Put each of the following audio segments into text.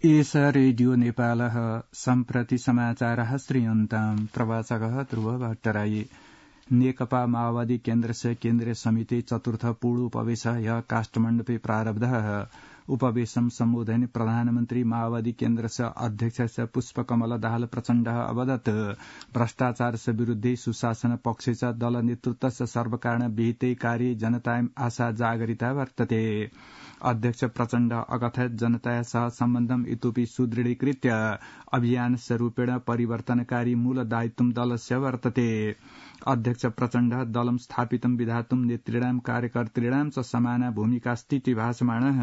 एष रेडियो नेपालः सम्प्रति समाचारः श्रूयन्ताम् प्रवाचकः ध्रुव भट्टराई नेकपा माओवादी केन्द्रस्य केन्द्रीय समिति चतुर्थ पूर्णोपवेशः ह्यः काठमाण्डुपे प्रारब्धः उपवेशं सम्बोधयन् प्रधानमन्त्री माओवादी केन्द्रस्य अध्यक्षस्य पुष्पकमल दाहाल प्रचण्डः अवदत् भ्रष्टाचारस्य विरुद्धे सुशासन पक्षे च दल नेतृत्वस्य सर्वकारण विहिते कार्ये जनतायाम् आशा जागरिता वर्तते अध्यक्ष प्रचण्ड अकथयत् जनताया सह सम्बन्धम् इतोपि सुदृढीकृत्य अभियानस्य रूपेण परिवर्तनकारी मूल दायित्वं दलस्य वर्तते अध्यक्ष प्रचण्ड दलं स्थापितं विधातुं नेतॄणां कार्यकर्तॄणां च समाना भूमिकास्तीति भासमाणः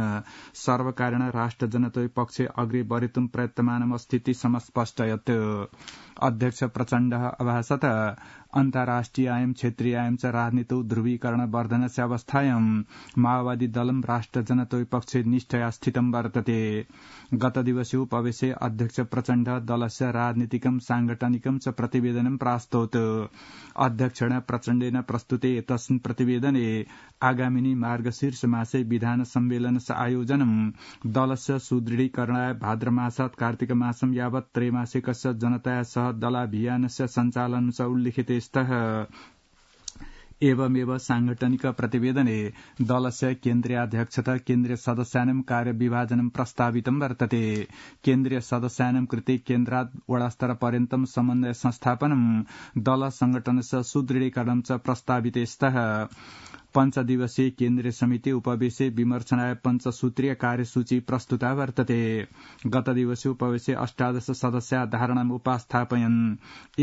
सर्वकारेण राष्ट्रजनतोः पक्षे अग्रे बढ़ितुं प्रयत्नमानमस्तीति समस्पष्टयत् अध्यक्ष प्रचण्डः अभासत अन्ताराष्ट्रियायं क्षेत्रीयायं च राजनीतौ ध्रुवीकरण वर्धनस्य अवस्थायां माओवादी दलं राष्ट्रजनतोः पक्षे निष्ठया स्थितं वर्तते गतदिवसे उपवेशे अध्यक्ष प्रचण्ड दलस्य राजनीतिकं सांगठनिकं च प्रतिवेदनं प्रास्तौत् अध्यक्षेण प्रचण्डेन प्रस्तुते एतस्मिन् प्रतिवेदने आगामिनी मार्गशीर्ष मासे विधान सम्मेलनस्य आयोजनं दलस्य सुदृढीकरणाय भाद्रमासात् कार्तिकमासं यावत् त्रैमासिकस्य जनताया सह दलाभियानस्य सञ्चालनं च उल्लिखिते स्तः एवमेव सांगठनिक प्रतिवेदने दलस्य केन्द्रीयाध्यक्षता केन्द्रीय सदस्यानां कार्यविभाजनं प्रस्तावितं वर्तते केन्द्रीय सदस्यानां कृते केन्द्रात् वडास्तरपर्यन्तं समन्वय संस्थापनं दल संगठनस्य सुदृढीकरणं च प्रस्ताविते स्तः पञ्चदिवसीय केन्द्रीय समिति उपवेशे विमर्शनाय पञ्चसूत्रीय कार्यसूची प्रस्तुता वर्तते गतदिवसे उपवेशे 18 सदस्या धारणाम् उपस्थापयन्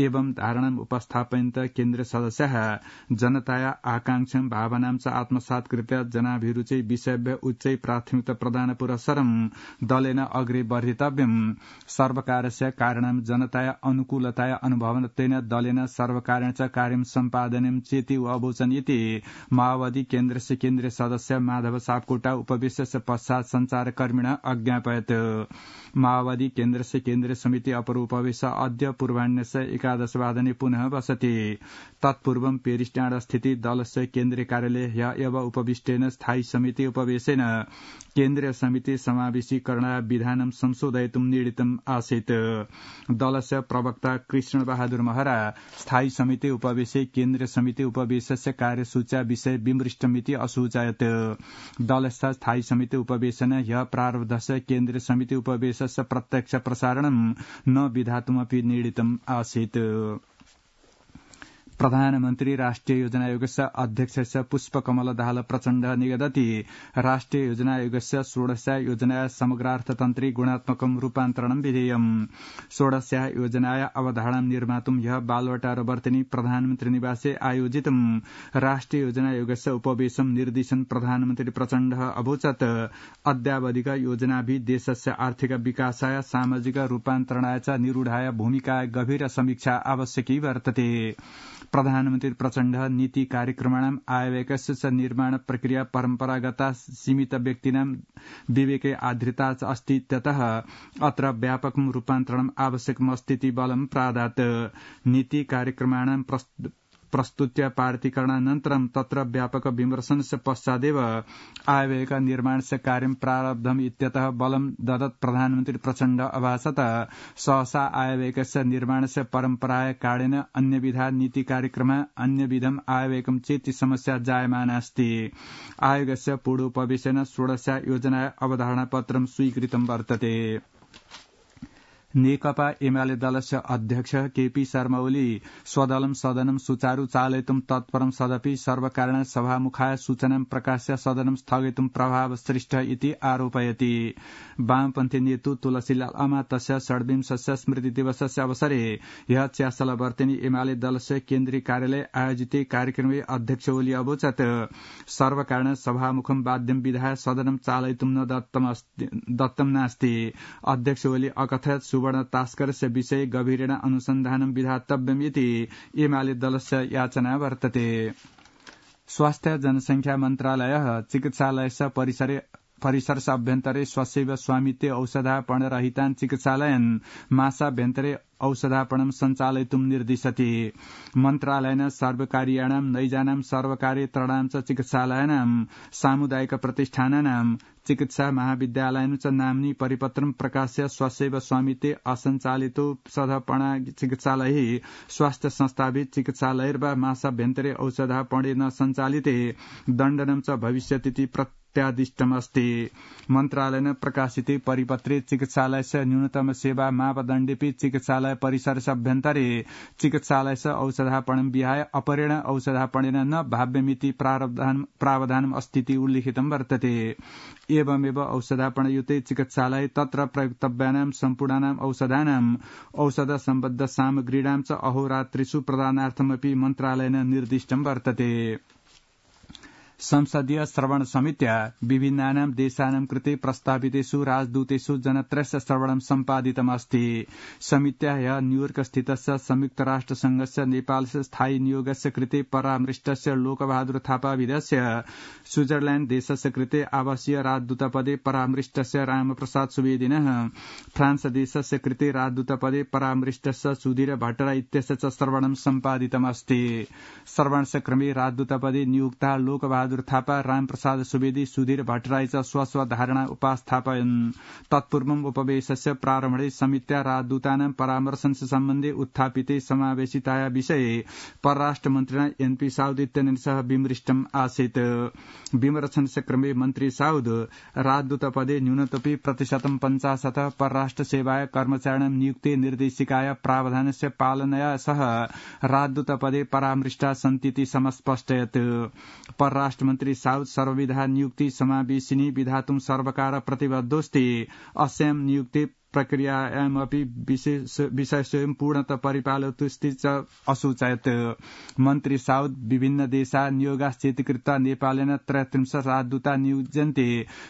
एवं धारणाम् उपस्थापयन्त केन्द्रीय सदस्याः जनताया आकांक्षां भावनां च आत्मसात् कृत्य जनाभिरुचि विषयभ्य उच्चै प्राथमिकता प्रदान पुरस्सरं दलेन अग्रे वर्धितव्यम् सर्वकारस्य कारणं जनताया अनुकूलताया अनुभवत्वेन दलेन सर्वकारेण च कार्यं सम्पादनं चेति अवोचन् इति माओवादी केन्द्रस्य केन्द्रीय सदस्य माधव सापकोटा उपवेशस्य पश्चात् संचारकर्मिणः अज्ञापयत् माओवादी केन्द्रस्य केन्द्रीय समिति अपर उपवेश अद्य पूर्वाह्नस्य 11 वादने पुनः बसति तत्पूर्वं पेरिसडाँडा स्थित दलस्य केन्द्रीय कार्यालये ह्यः एव उपविष्टेन स्थायी समिति उपवेशेन केन्द्रीय समिति समावेशीकरणाय विधानं संशोधयितुं निर्णीतम् आसीत् दलस्य प्रवक्ता कृष्ण बहादुर महरा स्थायी समिति उपवेशे केन्द्रीय समिति उपवेशस्य कार्यसूच्या विषय विमृष्टमिति असूचयत् दलस्थ स्थायी समिति उपवेशन ह्यः प्रारब्धस्य केन्द्रीय समिति उपवेशस्य प्रत्यक्ष प्रसारणं न विधातुमपि निर्णीतम् आसीत् प्रधानमन्त्री राष्ट्रिय योजना आयोगस्य अध्यक्षस्य पुष्पकमल दाहाल प्रचण्ड निगदति राष्ट्रिय योजना आयोगस्य 16 योजनाया समग्रार्थतन्त्री गुणात्मकं रूपान्तरणं विधेयम् 16 योजनाया अवधारणां निर्मातुं ह्यः बालवाटार वर्तिनी प्रधानमन्त्री निवासे आयोजितं राष्ट्रिय योजना आयोगस्य उपवेशं निर्दिशन् प्रधानमन्त्री प्रचण्डः अवोचत् अद्यावधिक योजनाभिः देशस्य आर्थिक विकासाय सामाजिक रूपान्तरणाय च निरूढाय भूमिकाय गभीर समीक्षा आवश्यकी वर्तते प्रधानमन्त्री प्रचण्ड नीति कार्यक्रमाणां आयव्ययस्य च निर्माण प्रक्रिया परम्परागता सीमित व्यक्तीनां विवेके आधृता च अस्ति ततः अत्र व्यापकं रूपान्तरणम् आवश्यकमस्तीति बलं प्रादात् नीति कार्यक्रमाणां प्रस्तुत्य पारितीकरणानन्तरं तत्र व्यापक विमर्शनस्य पश्चादेव आयव्ययक निर्माणस्य कार्यं प्रारब्धम् इत्यतः बलं ददत् प्रधानमन्त्री प्रचण्ड अभासत सहसा आयव्ययकस्य निर्माणस्य परम्पराय कारणेन अन्यविधा नीति कार्यक्रमः अन्यविधम् आयव्ययकं चेति समस्या जायमाना अस्ति आयोगस्य पूर्वोपवेशेन 16 योजनाया अवधारणापत्रं स्वीकृतं वर्तते नेकपा एमाले दलस्य अध्यक्ष केपी शर्मा ओली स्वदलं सदनं सुचारू चालयितुं तत्परं सदपि सर्वकारेण सभामुखाय सूचनां प्रकाश्य सदनं स्थगयितुं प्रभावसृष्ट इति आरोपयति वामपन्थी नेतु तुलसीलाल अमात्यस्य 26 स्मृति दिवसस्य अवसरे ह्यः च्यासलवर्तिनी एमाले दलस्य केन्द्रीय कार्यालये आयोजिते कार्यक्रमे अध्यक्ष ओली अवोचत् सर्वकारेण सभामुखं बाध्यं विधाय सदनं चालयितुं न दत्तं नास्ति अध्यक्ष ओली अकथयत् सुवर्ण तास्करस्य विषये गभीरेण अनुसन्धानं विधातव्यम् इति एमाले दलस्य याचना वर्तते स्वास्थ्य जनसंख्या मन्त्रालयः चिकित्सालयस्य परिसरे परिसरस्य अभ्यन्तरे स्वसेव स्वामित्वे औषधापणरहितान् चिकित्सालयन् मासाभ्यन्तरे औषधापणं सञ्चालयितुं निर्दिशति। मन्त्रालयेन सर्वकारीयाणां नैजानां सर्वकारेतराणां च चिकित्सालयानां सामुदायिक प्रतिष्ठानानां चिकित्सा महाविद्यालयानां च नाम्नि परिपत्रं प्रकाश्य स्वसेव स्वामित्वे असञ्चालितौषधापणा चिकित्सालयैः स्वास्थ्य संस्थाभिः चिकित्सालयैर्वा मासाभ्यन्तरे औषधापणेन सञ्चालिते दण्डनं च भविष्यतीति प्रत्यादिष्टमस्ति। मन्त्रालयेन प्रकाशिते परिपत्रे चिकित्सालयस्य न्यूनतम सेवा मापदण्डेऽपि चिकित्सालय परिसरस्य अभ्यन्तरे चिकित्सालयस्य औषधापणं विहाय अपरेण औषधापणेन न भाव्यमिति प्रावधानम् अस्तीति उल्लिखितं वर्तते। एवमेव औषधापणयुते चिकित्सालये तत्र प्रयोक्तव्यानां सम्पूर्णानां औषधानाम् औषध सम्बद्ध सामग्रीणां च अहोरात्रिषु प्रदानार्थमपि मन्त्रालयेन निर्दिष्टं वर्तते। संसदीय श्रवण समित्या विभिन्नानां देशानां कृते प्रस्तावितेषु राजदूतेषु जनत्रयस्य श्रवणं सम्पादितमस्ति। समित्या ह्यः न्यूयॉर्क स्थितस्य संयुक्तराष्ट्रसंघस्य नेपालस्य स्थायी नियोगस्य कृते परामृष्टस्य लोकबहादुर थापा विदेशस्य स्विट्जरलैण्ड देशस्य कृते आवासीय राजदूतपदे परामृष्टस्य रामप्रसाद सुवेदिनः फ्रांस देशस्य कृते राजदूतपदे परामृष्टस्य सुधीर भट्टराई इत्यस्य च श्रवणं सम्पादितमस्ति। श्रवणस्य क्रमे राजदूतपदे नियुक्ता लोकबहादुर थापा रामप्रसाद सुवेदी सुधीर भट्टराई च स्वस्वधारणा उपास्थापयन्। तत्पूर्वम् उपवेशस्य प्रारम्भे समित्या राजदूतानां परामर्शनस्य सम्बन्धे उत्थापिते समावेशिताया विषये परराष्ट्रमन्त्रिणा एनपी साउद इत्यनेन सह विमृष्टम् आसीत्। विमर्शनस्य क्रमे मन्त्री साउद राजदूतपदे न्यूनतमपि 50% परराष्ट्र सेवाय कर्मचारिणां नियुक्ति निर्देशिकाया प्रावधानस्य पालनया सह राजदूतपदे परामृष्टा सन्तीति समस्पष्टयत्। परराष्ट्रमन्त्री साउद सर्वविधा नियुक्ति समावेशिनी विधातुं सर्वकार प्रतिबद्धोऽस्ति। अस्यां नियुक्ति प्रक्रियायामपि विषयस्वयं पूर्णतः परिपालयतुस्ति च असूचयत्। मन्त्री साउद विभिन्न देशा नियोगाश्चेति कृत्वा नेपालेन 33 राजदूता नियुज्यन्ते।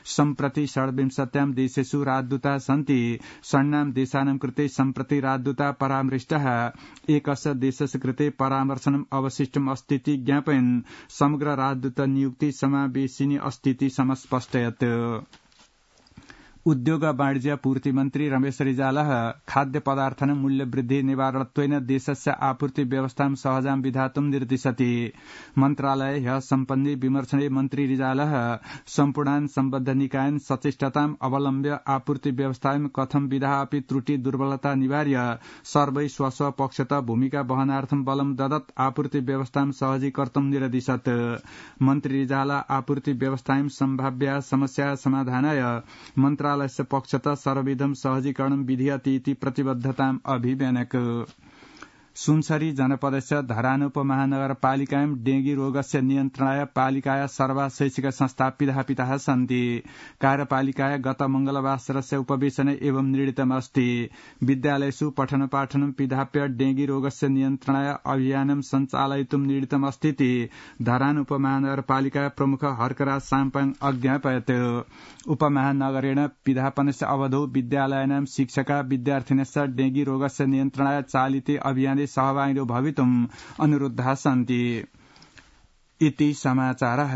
सम्प्रति 26 देशेषु राजदूता सन्ति। षण्णां देशानां कृते सम्प्रति राजदूता परामृष्टः। एकस्य देशस्य कृते परामर्शनम् अवशिष्टम् अस्तीति ज्ञापयन् समग्र राजदूत नियुक्ति समावेशिनी अस्तीति समस्पष्टयत्। उद्योग वाणिज्य पूर्ति मन्त्री रमेश रिजालः खाद्य पदार्थानां मूल्यवृद्धि निवारणत्वेन देशस्य आपूर्ति व्यवस्थां सहजां विधातुं निर्दिशति। मन्त्रालये ह्यः सम्पन्ने विमर्शने मन्त्री रिजालः सम्पूर्णान् सम्बद्ध निकायान् सचेष्टताम् अवलम्ब्य आपूर्ति व्यवस्थायां कथं विधा अपि त्रुटि दुर्बलता निवार्य सर्वै स्वस्व पक्षतः भूमिका वहनार्थं बलं ददत् आपूर्ति व्यवस्थां सहजीकर्तुं निर्दिशत्। मन्त्री रिजाला आपूर्ति व्यवस्थायां सम्भाव्या समस्या समाधानाय मन्त्रालयस्य पक्षतः सर्वविधं सहजीकरणं विधीयते इति प्रतिबद्धताम् अभिव्यनक। सुनसरी जनपदस्य धरान उपमहानगरपालिकायां डेंगी रोगस्य नियन्त्रणाय पालिकाया सर्वा शैक्षिक संस्था पिधापिताः सन्ति। कार्यपालिकाया गत मंगलवासरस्य उपवेशने एवं निर्णीतमस्ति। विद्यालयेषु पठनपाठनं पिधाप्य डेंगी रोगस्य नियन्त्रणाय अभियानं सञ्चालयितुं निर्णीतमस्तीति धरान उपमहानगरपालिका प्रमुख हर्कराज साम्पाङ अज्ञापयत्। उपमहानगरेण पिधापनस्य अवधौ विद्यालयानां शिक्षका विद्यार्थिनश्च डेंगी रोगस्य नियन्त्रणाय चालिते अभियाने सहभागिनो भवितुम् अनुरुद्धाः सन्ति। इति समाचारः।